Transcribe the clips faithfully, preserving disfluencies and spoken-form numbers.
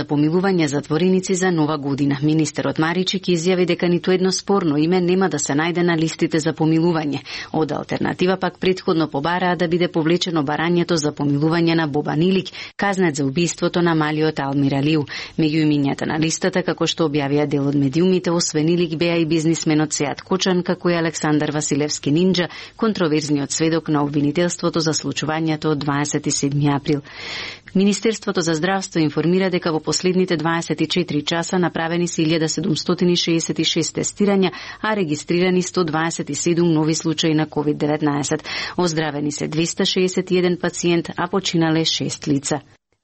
помилување затвореници за нова година. Министерот Маричик изјави дека ниту едно спорно име нема да се најде на листите за помилување. Од алтернатива пак претходно побараа да биде повлечено барањето за помилување на Бобан Илик, казнет за убиството на малиот Алмир Алиу. Меѓу имињата на листата, како што објавија дел од медиумите, освен Илик беа и бизнисменот Сеат Кочан, како и Александар Василевски Нинџа, контроверзниот сведок на обвинителството за случувањето од дваесет и седми април. Министерството за здравство информира дека во последните дваесет и четири часа направени се илјада седумстотини шеесет и шест тестирања, а регистрирани сто дваесет и седум нови случаи на ковид деветнаесет. Оздравени се двеста шеесет и еден пациент, а починале шест лица.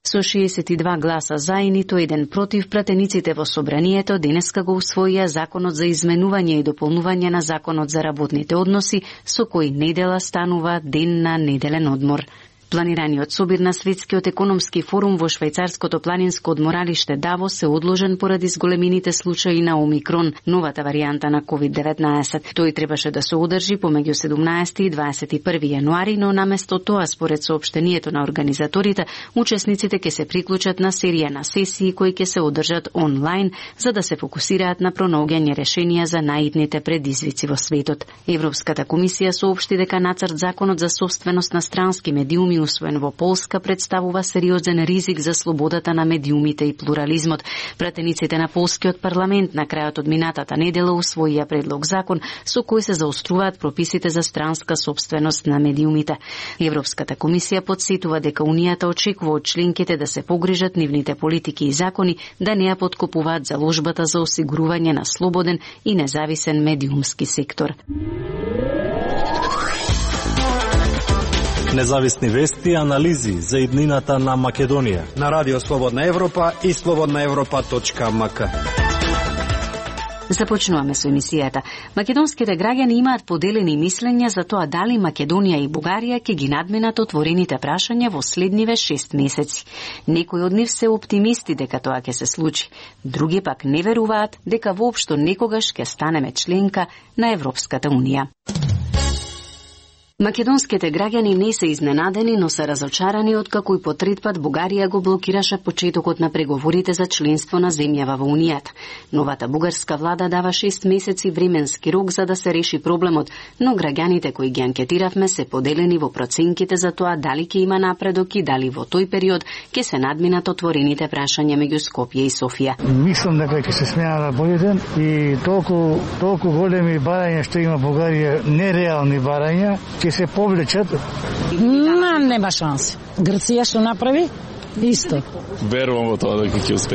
Со шеесет и два гласа за и ниту еден против, пратениците во собранието денеска го усвоија Законот за изменување и дополнување на Законот за работните односи, со кој недела станува ден на неделен одмор. Планираниот собир на Светскиот економски форум во швајцарското планинско одморалиште Давос се одложен поради зголемините случаи на Омикрон, новата варијанта на ковид деветнаесет. Тој требаше да се одржи помеѓу седумнаесети и дваесет и први јануари, но наместо тоа, според соопштението на организаторите, учесниците ќе се приклучат на серија на сесии кои ќе се одржат онлайн, за да се фокусираат на пронаоѓање решенија за наидните предизвици во светот. Европската комисија соопшти дека нацрт законот за собственост на странски медиуми усвоен во Полска представува сериозен ризик за слободата на медиумите и плурализмот. Пратениците на полскиот парламент на крајот од минатата недела усвоија предлог закон со кој се заоструваат прописите за странска собственост на медиумите. Европската комисија подсетува дека Унијата очекува од членките да се погрижат нивните политики и закони да не ја поткопуваат заложбата за осигурување на слободен и независен медиумски сектор. Независни вести и анализи за иднината на Македонија на Радио Слободна Европа и слободна европа точка ем ка. Започнуваме со емисијата. Македонските граѓани имаат поделени мислења за тоа дали Македонија и Бугарија ќе ги надминат отворените прашања во следниве шест месеци. Некои од нив се оптимисти дека тоа ќе се случи. Други пак не веруваат дека воопшто некогаш ќе станеме членка на Европската Унија. Македонските граѓани не се изненадени, но се разочарани откако и по трет пат Бугарија го блокираше почетокот на преговорите за членство на земјава во Унијата. Новата бугарска влада дава шест месеци временски рок за да се реши проблемот, но граѓаните кои ги анкетиравме се поделени во проценките за тоа дали ќе има напредок и дали во тој период ќе се надминат отворените прашања меѓу Скопје и Софија. Мислам дека ќе се смена на болиден и толку толку големи барања што има Бугарија, нереални барања, ќе се повлечат. Нема, нема шанси. Грција што направи? Исто. Верувам во тоа дека ќе успее.